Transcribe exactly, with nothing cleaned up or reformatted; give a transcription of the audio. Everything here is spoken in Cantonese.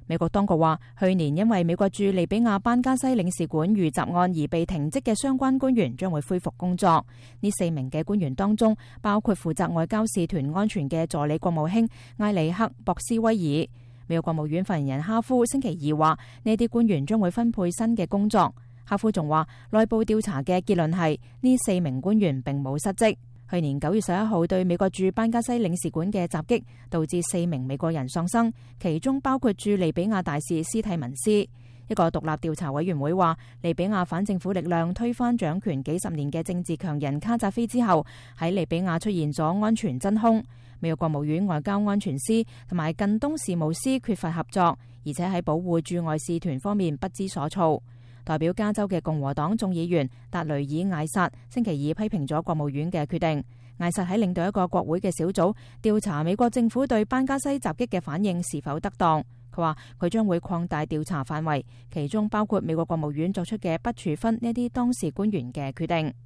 美國當局話，去年因為美國駐利比亞班加西領事館遇襲案而被停職嘅相關官員將會恢復工作。呢四名嘅官員當中，包括負責外交使團安全嘅助理國務卿埃里克·博斯威爾。美國國務院發言人哈夫星期二話，呢啲官員將會分配新嘅工作。哈夫仲話，內部調查嘅結論係呢四名官員並冇失職。去年九月十一號對美國駐班加西領事館嘅襲擊，導致四名美國人喪生，其中包括駐利比亞大使斯蒂文斯。一個獨立調查委員會話，利比亞反政府力量推翻掌權幾十年嘅政治強人卡扎菲之後，喺利比亞出現咗安全真空。美國國務院外交安全司同埋近東事務司缺乏合作，而且喺保護駐外使團方面不知所措。代表加州嘅共和黨眾議員達雷爾艾薩星期二批評咗國務院嘅決定。艾薩喺領導一個國會嘅小組調查美國政府對班加西襲擊嘅反應是否得當。佢話佢將會擴大調查範圍，其中包括美國國務院作出嘅不處分呢啲當事官員嘅決定。